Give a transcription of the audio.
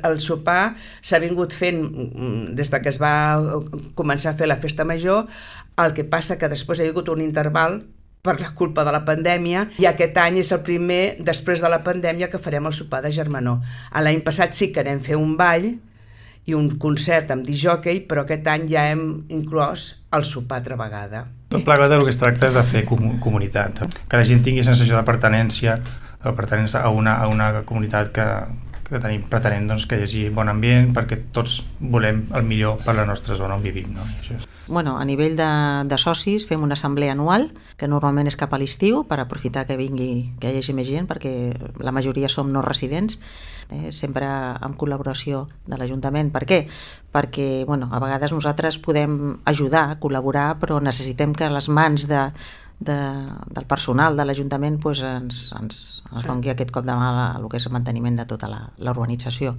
El sopar s'ha vingut fent des que es va començar a fer la festa major, el que passa que després hi ha hagut un interval per la culpa de la pandèmia, i aquest any és el primer, després de la pandèmia, que farem el sopar de germanor. L'any passat sí que anem a fer un ball i un concert amb disc-jòquei, però aquest any ja hem inclòs el sopar altra vegada. Tot plegat del que es tracta és de fer comunitat, que la gent tingui sensació de pertinença a una comunitat que pretenem doncs, que hi hagi bon ambient, perquè tots volem el millor per la nostra zona on vivim. No? Bueno, a nivell de socis fem una assemblea anual, que normalment és cap a l'estiu, per aprofitar que hi hagi més gent, perquè la majoria som no residents, sempre en col·laboració de l'Ajuntament. Per què? Perquè a vegades nosaltres podem ajudar, col·laborar, però necessitem que les mans del personal de l'Ajuntament ens doni aquest cop de mà al que és el manteniment de tota la urbanització.